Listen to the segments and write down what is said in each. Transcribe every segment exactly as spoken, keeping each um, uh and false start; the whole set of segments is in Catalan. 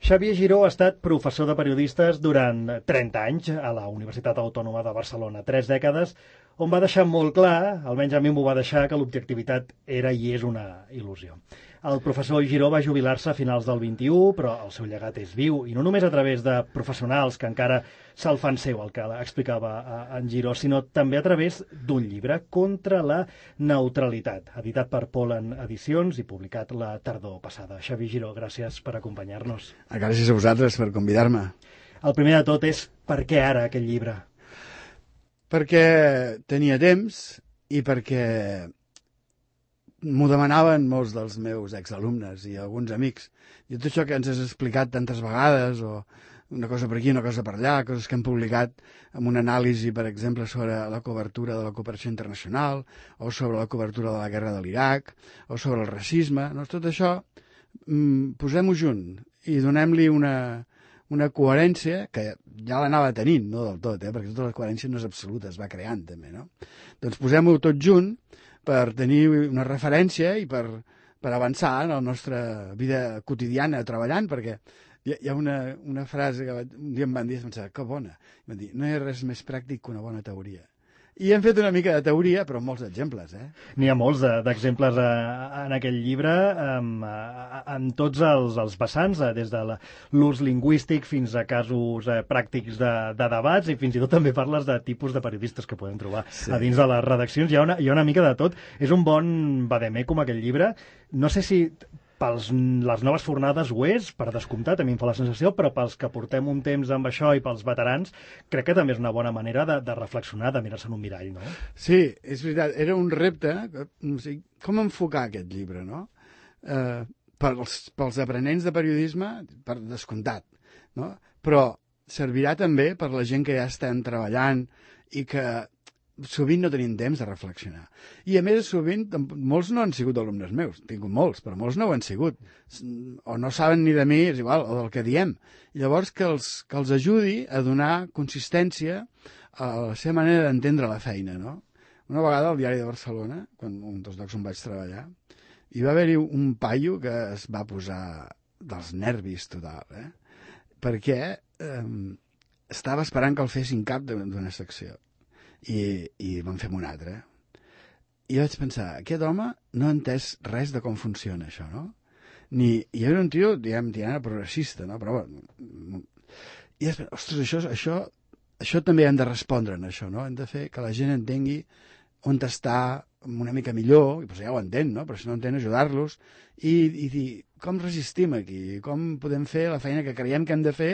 Xavier Giró ha estat professor de periodistes durant trenta anys a la Universitat Autònoma de Barcelona, tres dècades, on va deixar molt clar, almenys a mi m'ho va deixar, que l'objectivitat era i és una il·lusió. El professor Giró va jubilar-se a finals del vint-i-u, però el seu llegat és viu, i no només a través de professionals que encara se'l fan seu, el que explicava en Giró, sinó també a través d'un llibre, Contra la neutralitat, editat per Polen Edicions i publicat la tardor passada. Xavier Giró, gràcies per acompanyar-nos. Gràcies a vosaltres per convidar-me. El primer de tot és per què ara aquest llibre? Perquè tenia temps i perquè m'ho demanaven molts dels meus exalumnes i alguns amics. I tot això que ens has explicat tantes vegades, o una cosa per aquí, una cosa per allà, coses que hem publicat amb una anàlisi, per exemple, sobre la cobertura de la cooperació internacional, o sobre la cobertura de la guerra de l'Iraq, o sobre el racisme. No? Tot això, posem-ho junt i donem-li una, una coherència que ja l'anava tenint, no del tot, eh? Perquè tota la coherència no és absoluta, es va creant també, no? Doncs posem-ho tot junt per tenir una referència i per, per avançar en la nostra vida quotidiana treballant, perquè hi ha, hi ha una, una frase que un dia em van dir, pensava, que bona, em van dir, no hi ha res més pràctic que una bona teoria. I hem fet una mica de teoria, però amb molts exemples. Eh? N'hi ha molts d'exemples en aquell llibre, en tots els, els vessants, des de l'ús lingüístic fins a casos pràctics de, de debats, i fins i tot també parles de tipus de periodistes que podem trobar sí. a dins de les redaccions. Hi ha, una, hi ha una mica de tot. És un bon vademecum aquell llibre. No sé si pels les noves fornades ho és, per descomptat, a mi em fa la sensació, però pels que portem un temps amb això i pels veterans, crec que també és una bona manera de, de reflexionar, de mirar-se en un mirall, no? Sí, és veritat. Era un repte, no sé, com enfocar aquest llibre, no? Eh, pels, pels aprenents de periodisme, per descomptat, no? Però servirà també per la gent que ja estan treballant i que sovint no tenim temps de reflexionar. I a més, sovint, molts no han sigut alumnes meus, he tingut molts, però molts no ho han sigut. O no saben ni de mi, és igual, o del que diem. I llavors que els, que els ajudi a donar consistència a la seva manera d'entendre la feina, no? Una vegada al Diari de Barcelona, quan, un dels llocs on vaig treballar, hi va haver-hi un paio que es va posar dels nervis total, eh? Perquè eh, estava esperant que el fessin cap d'una secció. I, i vam fer una altra. I vaig pensar, aquest home no ha entès res de com funciona això, no? Ni, i era un tio, diguem, tirant a progressista, no? Però, bueno, i després, ostres, això, això, això també hem de respondre en això, no? Hem de fer que la gent entengui on està una mica millor, i doncs ja ho entén, no? Però si no entén, ajudar-los, i, i dir, com resistim aquí? Com podem fer la feina que creiem que hem de fer,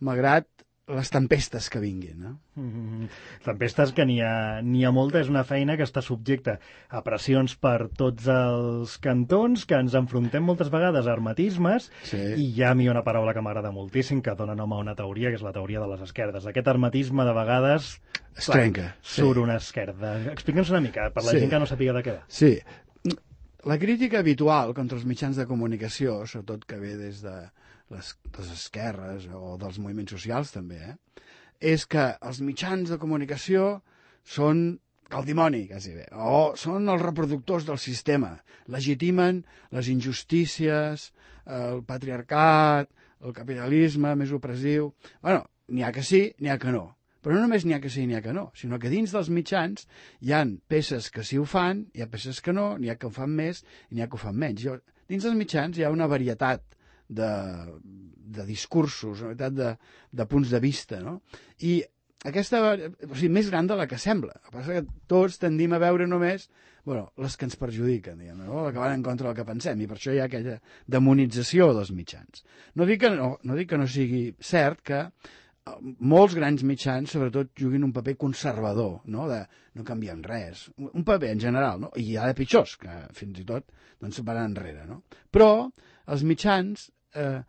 malgrat les tempestes que vinguin, no? Mm-hmm. Tempestes que n'hi ha, n'hi ha molta, és una feina que està subjecta a pressions per tots els cantons, que ens enfrontem moltes vegades a hermetismes, sí. I hi ha a mi una paraula que m'agrada moltíssim, que dona nom a una teoria, que és la teoria de les esquerdes. Aquest hermetisme, de vegades, es trenca. Surt sí. una esquerda. Explica'ns una mica, per la sí. gent que no sàpiga de què va. Sí. La crítica habitual contra els mitjans de comunicació, sobretot que ve des de les, les esquerres o dels moviments socials també, eh? És que els mitjans de comunicació són el dimoni, quasi bé, o són els reproductors del sistema, legitimen les injustícies, el patriarcat, el capitalisme més opressiu. Bueno, n'hi ha que sí, n'hi ha que no. Però no només n'hi ha que sí, n'hi ha que no, sinó que dins dels mitjans hi ha peces que sí ho fan, hi ha peces que no, n'hi ha que ho fan més i n'hi ha que ho fan menys. Jo, dins dels mitjans hi ha una varietat de, de discursos, una varietat de, de punts de vista, no? I aquesta, o sigui, més gran de la que sembla. El que passa que tots tendim a veure només, bueno, les que ens perjudiquen, diguem, no? Les que van en contra del que pensem, i per això hi ha aquella demonització dels mitjans. No dic que no, no dic que no sigui cert que molts grans mitjans, sobretot, juguin un paper conservador, no? De no canviem res. Un paper en general, no? I hi ha de pitjors, que fins i tot doncs, van enrere, no? Però els mitjans, eh,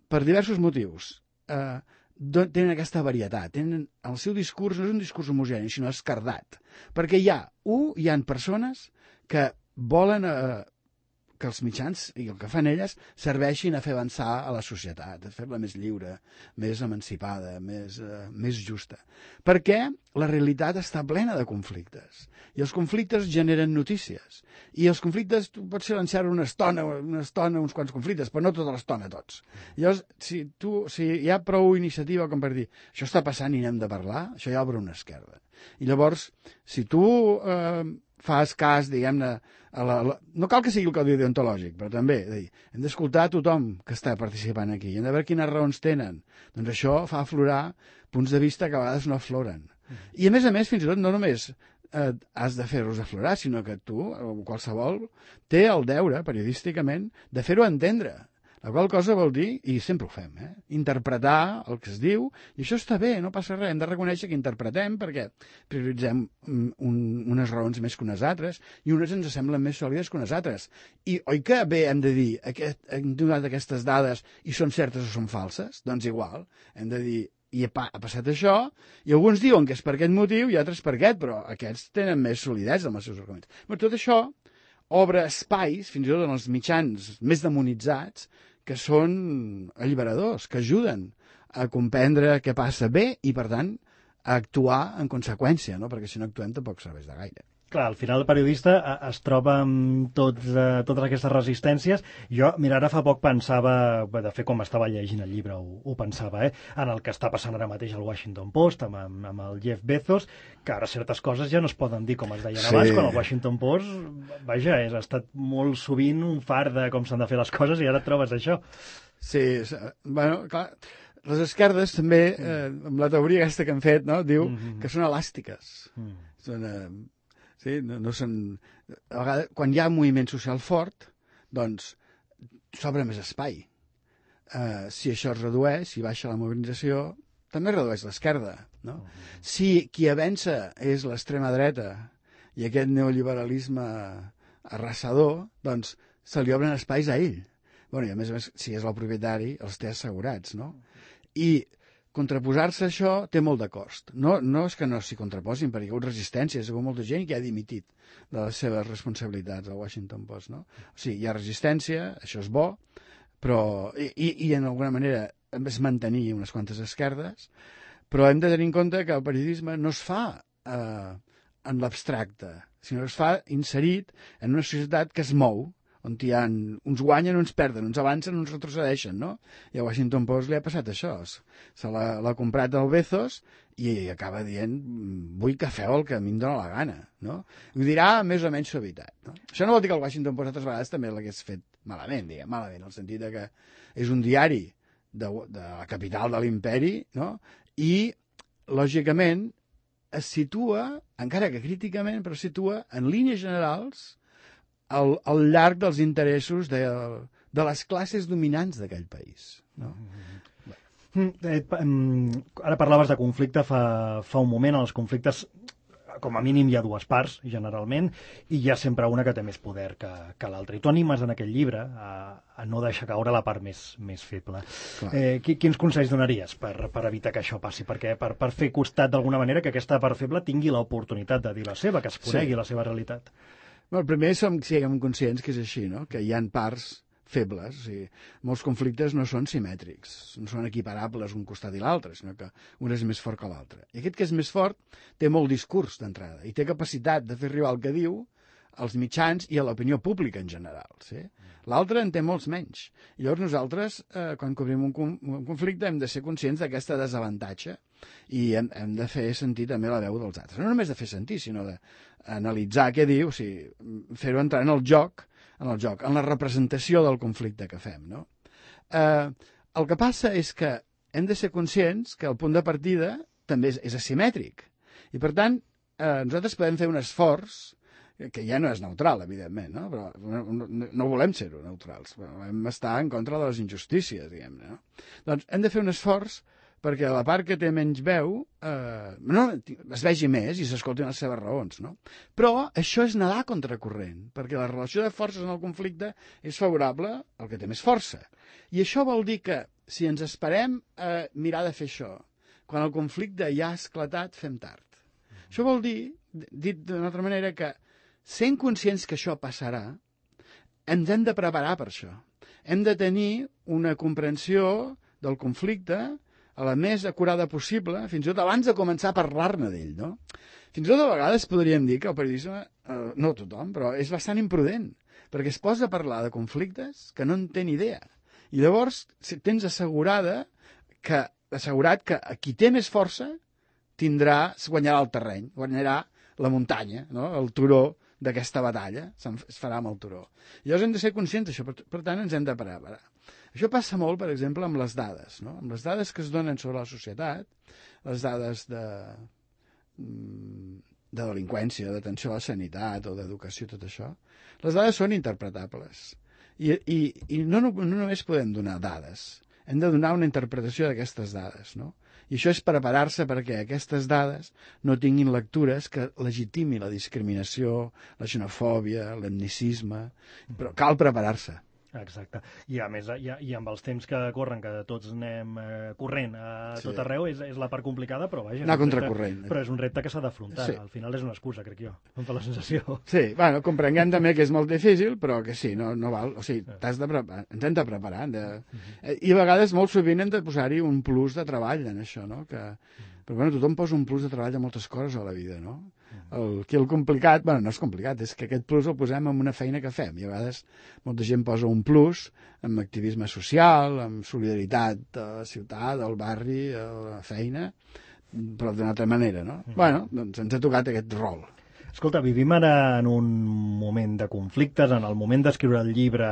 per diversos motius, eh, tenen aquesta varietat, tenen el seu discurs, no és un discurs homogeni, sinó escardat. Perquè hi ha, un, hi ha persones que volen eh, que els mitjans i el que fan elles serveixin a fer avançar a la societat, a fer-la més lliure, més emancipada, més, uh, més justa. Perquè la realitat està plena de conflictes. I els conflictes generen notícies. I els conflictes, tu pots silenciar una estona, una estona, uns quants conflictes, però no tota l'estona tots. Llavors, si, tu, si hi ha prou iniciativa com per dir això està passant i n'hem de parlar, això ja obre una esquerda. I llavors, si tu eh, fas cas, diguem-ne, a la, la, no cal que sigui el codi deontològic, però també dir, hem d'escoltar a tothom que està participant aquí, hem de veure quines raons tenen. Doncs això fa aflorar punts de vista que a vegades no afloren. I a més a més, fins i tot, no només eh, has de fer-los aflorar, sinó que tu, qualsevol, té el deure, periodísticament, de fer-ho entendre. La qual cosa vol dir, i sempre ho fem, eh? interpretar el que es diu, i això està bé, no passa res, hem de reconèixer que interpretem perquè prioritzem un, unes raons més que unes altres, i unes ens semblen més sòlides que unes altres. I oi que bé hem de dir, aquest, hem donat aquestes dades i són certes o són falses? Doncs igual, hem de dir, i ha, ha passat això, i alguns diuen que és per aquest motiu i altres per aquest, però aquests tenen més solidesa amb els seus arguments. Però tot això obre espais, fins i tot en els mitjans més demonitzats, que són alliberadors, que ajuden a comprendre què passa bé i, per tant, a actuar en conseqüència, no? Perquè si no actuem tampoc serveix de gaire. Clar, al final el periodista es troba amb tots, eh, totes aquestes resistències. Jo, mira, ara fa poc pensava, de fet, com estava llegint el llibre, ho, ho pensava, eh, en el que està passant ara mateix al Washington Post, amb, amb el Jeff Bezos, que ara certes coses ja no es poden dir com es deien sí. abans, quan el Washington Post, vaja, és, ha estat molt sovint un far de com s'han de fer les coses i ara et trobes això. Sí, bueno, clar, les esquerdes també, eh, amb la teoria aquesta que han fet, no, diu mm-hmm. que són elàstiques. Mm. Són... Eh, Sí, no, no són... A vegades, quan hi ha un moviment social fort, doncs s'obre més espai. Uh, si això es redueix, si baixa la mobilització, també redueix l'esquerda. No? Uh-huh. Si qui avança és l'extrema dreta i aquest neoliberalisme arrasador, doncs se li obren espais a ell. Bueno, i a més a més, si és el propietari, els té assegurats. No? I contraposar-se a això té molt de cost. No, no és que no s'hi contraposin, perquè hi ha hagut resistències, hi ha hagut molta gent que ha dimitit de les seves responsabilitats al Washington Post. No? O sigui, hi ha resistència, això és bo, però i, i en alguna manera hem de mantenir unes quantes esquerdes, però hem de tenir en compte que el periodisme no es fa eh, en l'abstracte, sinó que es fa inserit en una societat que es mou, on hi ha, uns guanyen, uns perden, uns avancen, uns retrocedeixen, no? I a Washington Post li ha passat això. Se l'ha comprat el Bezos i acaba dient, vull que feu el que a mi em dóna la gana, no? Ho dirà més o menys suavitat, no? Això no vol dir que el Washington Post altres vegades també l'hagués fet malament, diguem, malament, en el sentit de que és un diari de, de la capital de l'imperi, no? I, lògicament, es situa, encara que críticament, però es situa en línies generals Al, al llarg dels interessos de, de les classes dominants d'aquell país. No? Mm, eh, ara parlaves de conflicte fa, fa un moment. Els conflictes, com a mínim, hi ha dues parts, generalment, i hi ha sempre una que té més poder que, que l'altra. I tu animes en aquell llibre a, a no deixar caure la part més, més feble. Eh, quins consells donaries per, per evitar que això passi? Perquè per, per fer costat d'alguna manera que aquesta part feble tingui l'oportunitat de dir la seva, que es conegui sí. la seva realitat. Bueno, primer som, siguem conscients que és així, no? Que hi ha parts febles. O sigui, molts conflictes no són simètrics, no són equiparables un costat i l'altre, sinó que un és més fort que l'altre. I aquest que és més fort té molt discurs d'entrada i té capacitat de fer arribar el que diu als mitjans i a l'opinió pública en general. Sí? L'altre en té molts menys. I llavors nosaltres, eh, quan cobrim un, un conflicte, hem de ser conscients d'aquesta desavantatge i hem, hem de fer sentir també la veu dels altres. No només de fer sentir, sinó d'analitzar què diu, o sigui, fer-ho entrar en el joc, en el joc, en la representació del conflicte que fem. No? Eh, el que passa és que hem de ser conscients que el punt de partida també és, és asimètric. I, per tant, eh, nosaltres podem fer un esforç que ja no és neutral, evidentment, no? Però no, no, no volem ser-ho neutrals, volem estar en contra de les injustícies, diguem-ne. No? Doncs hem de fer un esforç perquè la part que té menys veu eh, no, es vegi més i s'escoltin les seves raons. No? Però això és nedar contracorrent, perquè la relació de forces en el conflicte és favorable al que té més força. I això vol dir que si ens esperem a mirar de fer això, quan el conflicte ja ha esclatat, fem tard. Això vol dir, dit d'una altra manera, que sent conscients que això passarà, ens hem de preparar per això. Hem de tenir una comprensió del conflicte a la més acurada possible, fins i tot abans de començar a parlar-ne d'ell, no? Fins i tot a vegades podríem dir que el periodisme, eh, no tothom, però és bastant imprudent, perquè es posa a parlar de conflictes que no en té ni idea. I llavors tens assegurada que, assegurat que qui té més força tindrà, guanyarà el terreny, guanyarà la muntanya, no? El turó d'aquesta batalla, es farà amb el turó. I llavors hem de ser conscients d'això, per, per tant ens hem de preparar. Això passa molt, per exemple, amb les dades, no? Amb les dades que es donen sobre la societat, les dades de, de delinqüència, d'atenció a la sanitat o d'educació, tot això, les dades són interpretables. I, i, i no, no, no només podem donar dades, hem de donar una interpretació d'aquestes dades, no? I això és preparar-se perquè aquestes dades no tinguin lectures que legitimi la discriminació, la xenofòbia, l'etnicisme, però cal preparar-se. Exacte. I a més, i, i amb els temps que corren, que tots anem eh, corrent a Sí. tot arreu, és, és la part complicada, però vaja... Anar és un repte- contracorrent. Però és un repte que s'ha d'afrontar. Sí. Al final és una excusa, crec jo. Em fa la sensació. Sí, bueno, comprenguem també que és molt difícil, però que sí, no, no val. O sigui, t'has de preparar, ens hem de preparar. Hem de... I a vegades, molt sovint, hem de posar-hi un plus de treball en això, no? Que... Però bueno, tothom posa un plus de treball a moltes coses a la vida, no? El, que el complicat, bueno, no és complicat, és que aquest plus el posem en una feina que fem. I a vegades molta gent posa un plus en activisme social, en solidaritat a la ciutat, al barri, a la feina, però d'una altra manera, no? Mm. Bueno, doncs ens ha tocat aquest rol. Escolta, vivim ara en un moment de conflictes, en el moment d'escriure el llibre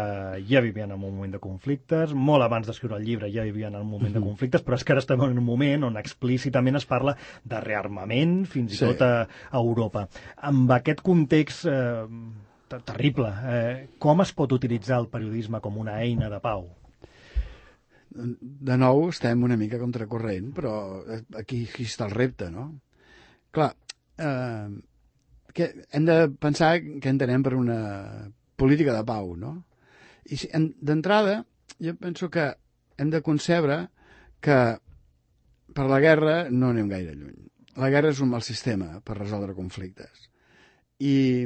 ja vivien en un moment de conflictes, molt abans d'escriure el llibre ja vivien en un moment de conflictes, però és que ara estem en un moment on explícitament es parla de rearmament, fins i Sí. tot a, a Europa. Amb aquest context eh, ter- terrible, eh, com es pot utilitzar el periodisme com una eina de pau? De nou estem una mica contracorrent, però aquí, aquí està el repte, no? Clar, eh, que hem de pensar què entenem per una política de pau, no? I si, en- d'entrada, jo penso que hem de concebre que per la guerra no anem gaire lluny. La guerra és un mal sistema per resoldre conflictes. I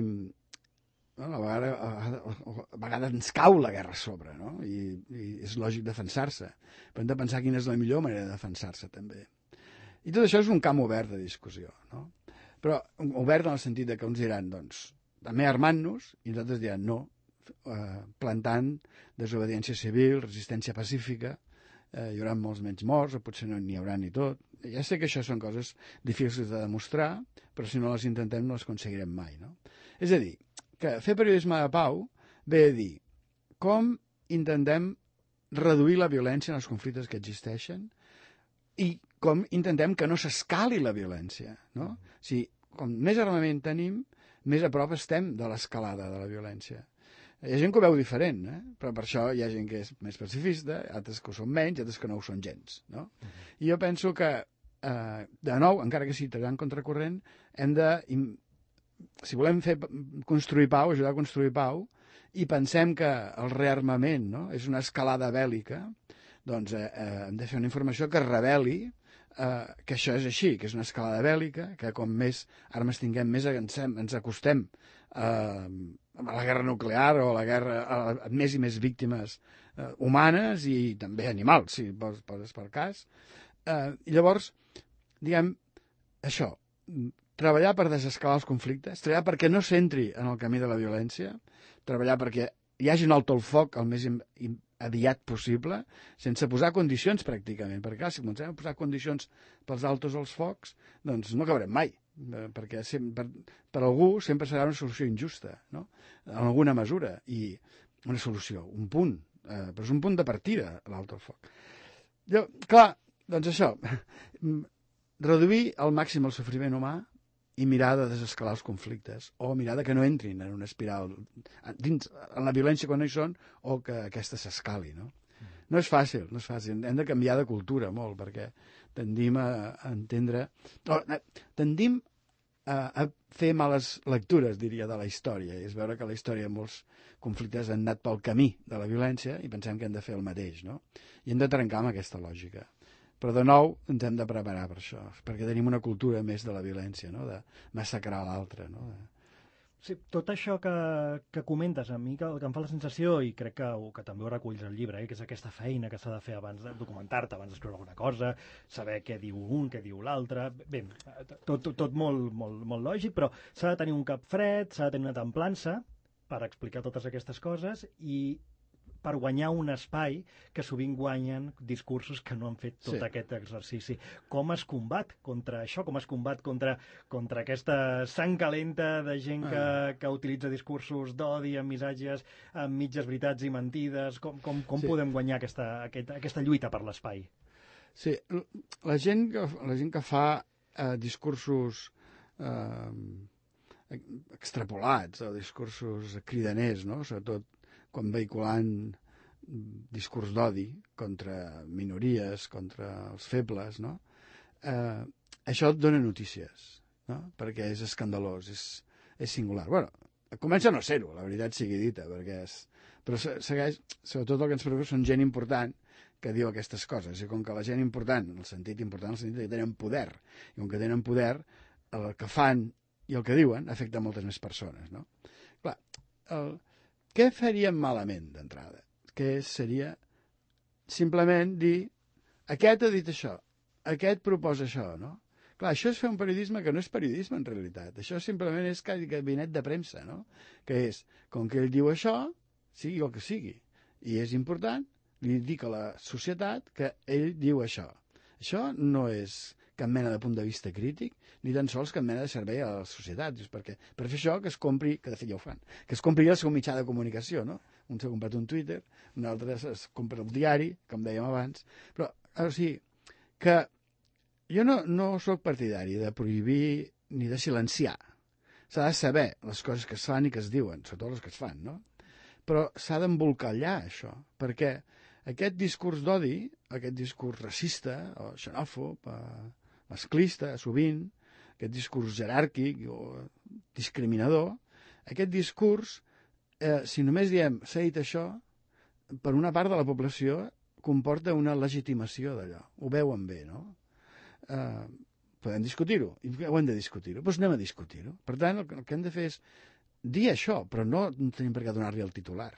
bueno, a, vegades, a, vegades, a vegades ens cau la guerra a sobre, no? I, i és lògic defensar-se. Però hem de pensar quina és la millor manera de defensar-se, també. I tot això és un camp obert de discussió, no? Però obert en el sentit de que uns diran, doncs, també armant-nos, i nosaltres diran no, eh, plantant desobediència civil, resistència pacífica, eh, hi haurà molts menys morts, o potser no n'hi haurà ni tot. Ja sé que això són coses difícils de demostrar, però si no les intentem no les aconseguirem mai, no? És a dir, que fer periodisme de pau ve a dir com intentem reduir la violència en els conflictes que existeixen i com intentem que no s'escali la violència, no? O sigui, com més armament tenim, més a prop estem de l'escalada de la violència. Hi ha gent que ho veu diferent, eh? Però per això hi ha gent que és més pacifista, altres que ho són menys, altres que no ho són gens, no? I jo penso que, eh, de nou, encara que sigui treballant contracorrent, hem de, si volem fer, construir pau, ajudar a construir pau, i pensem que el rearmament, no?, és una escalada bèl·lica, doncs eh, eh, hem de fer una informació que reveli eh, que això és així, que és una escalada bèl·lica, que com més armes tinguem, més ens, ens acostem eh, a la guerra nuclear o a la guerra a, a més i més víctimes eh, humanes i també animals, si poses, poses per cas. Eh, I llavors, diguem, això, treballar per desescalar els conflictes, treballar perquè no s'entri en el camí de la violència, treballar perquè hi hagi un alto el foc el més aviat possible, sense posar condicions pràcticament, perquè clar, si comencem a posar condicions pels altos als focs, doncs no acabarem mai, perquè sempre, per, per algú sempre serà una solució injusta, no?, en alguna mesura, i una solució, un punt, eh, però és un punt de partida, l'alto al foc. Jo, clar, doncs això, reduir al màxim el sofriment humà i mirar de desescalar els conflictes, o mirar de que no entrin en una espiral dins, en la violència quan no hi són, o que aquesta s'escali, no? No és fàcil, no és fàcil. Hem de canviar de cultura molt, perquè tendim a entendre... O, tendim a, a fer males lectures, diria, de la història, i és veure que la història molts conflictes han anat pel camí de la violència i pensem que hem de fer el mateix, no? I hem de trencar amb aquesta lògica. Però de nou ens hem de preparar per això, perquè tenim una cultura més de la violència, no?, de massacrar l'altre, no? Sí, tot això que, que comentes, a mi que, que em fa la sensació, i crec que, que també ho reculls al llibre, eh, que és aquesta feina que s'ha de fer abans de documentar-te, abans d'escriure alguna cosa, saber què diu un, què diu l'altre, bé, tot, tot, tot molt, molt, molt lògic, però s'ha de tenir un cap fred, s'ha de tenir una templança per explicar totes aquestes coses i per guanyar un espai que sovint guanyen discursos que no han fet tot Sí. aquest exercici. Com es combat contra això? Com es combat contra, contra aquesta sang calenta de gent que, Ah. que utilitza discursos d'odi, amb missatges, amb mitges veritats i mentides? Com, com, com Sí. podem guanyar aquesta, aquesta, aquesta lluita per l'espai? Sí, l- la gent que, la gent que fa eh, discursos eh, extrapolats o discursos cridaners, no? Sobretot quan vehiculant discurs d'odi contra minories, contra els febles, no? Eh, això et dona notícies, no? Perquè és escandalós, és, és singular. Bueno, comença a no ser-ho, la veritat sigui dita, perquè és... Però se- segueix, sobretot el que ens preocupa són gent important que diu aquestes coses, i com que la gent important, en el sentit important, en el sentit que tenen poder, i com que tenen poder, el que fan i el que diuen afecta moltes més persones, no? Clar, el, què faríem malament d'entrada? Que seria simplement dir aquest ha dit això, aquest proposa això, no? Clar, això és fer un periodisme que no és periodisme en realitat. Això simplement és gabinet de premsa, no? Que és, com que ell diu això, sigui el que sigui. I és important, li dic a la societat que ell diu això. Això no és cap mena de punt de vista crític, ni tan sols cap mena de servei a la societat. Just perquè, per fer això, que es compri, que de fet ja ho fan, que es compri el seu mitjà de comunicació, no? Un s'ha comprat un Twitter, un altre es compra el diari, com dèiem abans, però, o sigui, que jo no, no sóc partidari de prohibir ni de silenciar. S'ha de saber les coses que es fan i que es diuen, sobretot les que es fan, no? Però s'ha d'embolcallar, això, perquè aquest discurs d'odi, aquest discurs racista o xenòfob, eh, masclista, sovint, aquest discurs jeràrquic o discriminador, aquest discurs, eh, si només diem s'ha dit això, per una part de la població comporta una legitimació d'allò. Ho veuen bé, no? Eh, podem discutir-ho. I ho hem de discutir-ho. Doncs anem a discutir-ho. Per tant, el que, el que hem de fer és dir això, però no tenim per què donar-li el titular.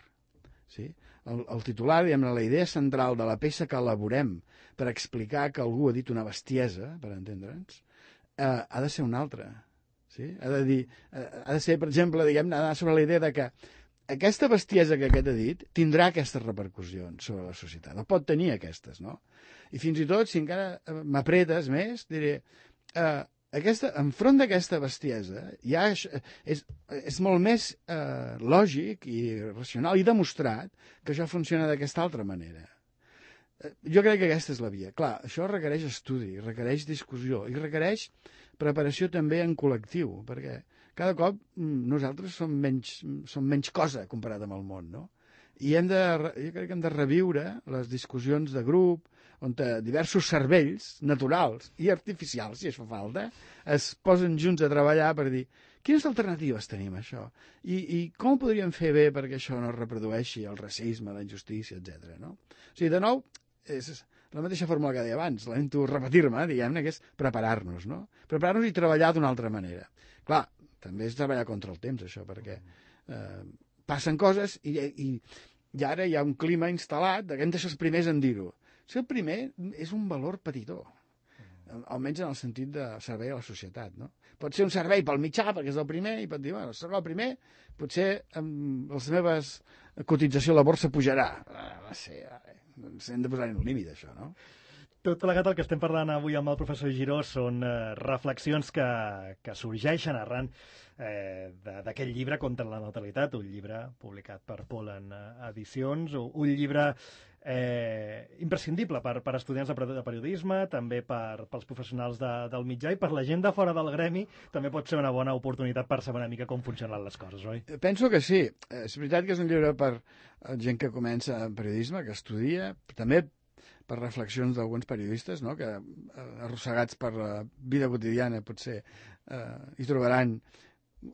Sí? El, el titular, diguem-ne, la idea central de la peça que elaborem per explicar que algú ha dit una bestiesa, per entendre'ns, eh, ha de ser una altra. Sí? Ha de dir, eh, ha de ser, per exemple, diguem-ne, anar sobre la idea de que aquesta bestiesa que aquest ha dit tindrà aquestes repercussions sobre la societat. No pot tenir aquestes, no? I fins i tot, si encara m'apretes més, diré, eh, aquesta, enfront d'aquesta bestiesa ja és, és, és molt més eh, lògic i racional i demostrat que això funciona d'aquesta altra manera. Eh, jo crec que aquesta és la via. Clar, això requereix estudi, requereix discussió i requereix preparació també en col·lectiu, perquè cada cop nosaltres som menys, som menys cosa comparat amb el món, no? I hem de, jo crec que hem de reviure les discussions de grup, on diversos cervells naturals i artificials, si es fa falta, es posen junts a treballar per dir quines alternatives tenim a això i, i com ho podríem fer bé perquè això no reprodueixi el racisme, la injustícia, etcètera. No? O sigui, de nou, és la mateixa fórmula que deia abans, lamento repetir-me, diguem-ne, que és preparar-nos, no? Preparar-nos i treballar d'una altra manera. Clar, també és treballar contra el temps, això, perquè eh, passen coses i, i, i ara hi ha un clima instal·lat de que hem de ser els primers en dir-ho. Ser el primer és un valor petitó, almenys en el sentit de servei a la societat, no? Pot ser un servei pel mitjà, perquè és el primer, i pot dir, bueno, serà el primer, potser amb les meves cotització a la borsa pujarà. Ah, va ser, doncs hem de posar-hi un límit, això, no? Tot plegat el que estem parlant avui amb el professor Giró són eh, reflexions que, que sorgeixen arran eh, d'aquest llibre Contra la natalitat, un llibre publicat per Polen Edicions, un llibre eh, imprescindible per, per estudiants de periodisme, també per, pels professionals de, del mitjà i per la gent de fora del gremi també pot ser una bona oportunitat per saber una mica com funcionen les coses, oi? Penso que sí. És veritat que és un llibre per gent que comença en periodisme, que estudia, també per reflexions d'alguns periodistes, no? Que eh, arrossegats per la vida quotidiana potser eh, hi trobaran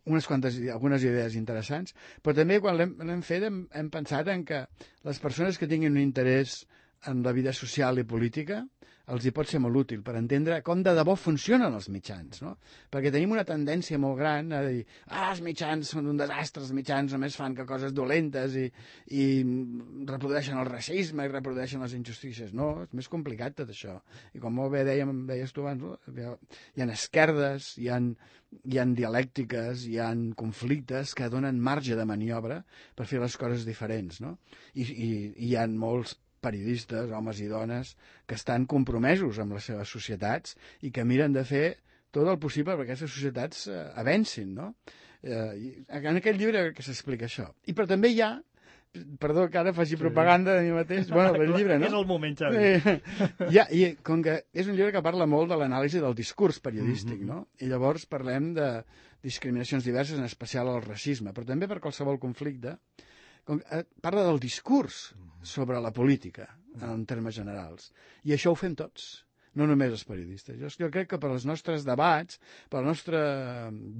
unes quantes, algunes idees interessants, però també quan l'hem fet hem, hem pensat en que les persones que tinguin un interès en la vida social i política els hi pot ser molt útil per entendre com de debò funcionen els mitjans, no? Perquè tenim una tendència molt gran a dir ah, els mitjans són un desastre, els mitjans només fan que coses dolentes i, i reprodueixen el racisme i reprodueixen les injustícies. No, és més complicat tot això. I com molt bé dèiem, deies tu abans, hi ha esquerdes, hi ha, hi ha dialèctiques, hi ha conflictes que donen marge de maniobra per fer les coses diferents, no? I, i, i hi ha molts periodistes, homes i dones, que estan compromesos amb les seves societats i que miren de fer tot el possible perquè aquestes societats eh, avancin, no? Eh, en aquest llibre que s'explica això. I però també hi ha, perdó que ara faci sí. propaganda de mi mateix, bueno, el llibre, no? És el moment, Xavi. Eh, ja, i com que és un llibre que parla molt de l'anàlisi del discurs periodístic, mm-hmm. no? I llavors parlem de discriminacions diverses, en especial el racisme, però també per qualsevol conflicte. Parla del discurs sobre la política, en termes generals. I això ho fem tots, no només els periodistes. Jo, jo crec que per als nostres debats, per al nostre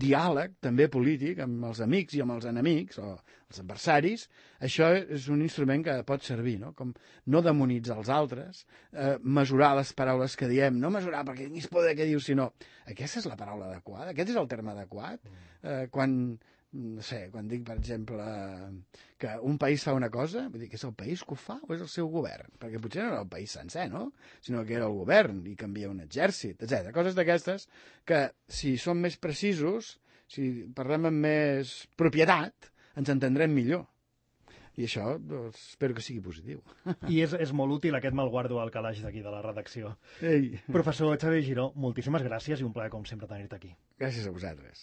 diàleg, també polític, amb els amics i amb els enemics, o els adversaris, això és un instrument que pot servir, no? Com no demonitzar els altres, eh, mesurar les paraules que diem, no mesurar perquè tinguis poder què dius, sinó aquesta és la paraula adequada, aquest és el terme adequat. Eh, quan... no sé, quan dic, per exemple, que un país fa una cosa, vull dir que és el país que ho fa o és el seu govern? Perquè potser no era el país sencer, no? Sinó que era el govern i canvia un exèrcit, etcètera. Coses d'aquestes que, si som més precisos, si parlem amb més propietat, ens entendrem millor. I això, doncs, espero que sigui positiu. I és, és molt útil aquest malguardo al calaix d'aquí, de la redacció. Ei. Professor Xavier Giró, moltíssimes gràcies i un plaer, com sempre, tenir-te aquí. Gràcies a vosaltres.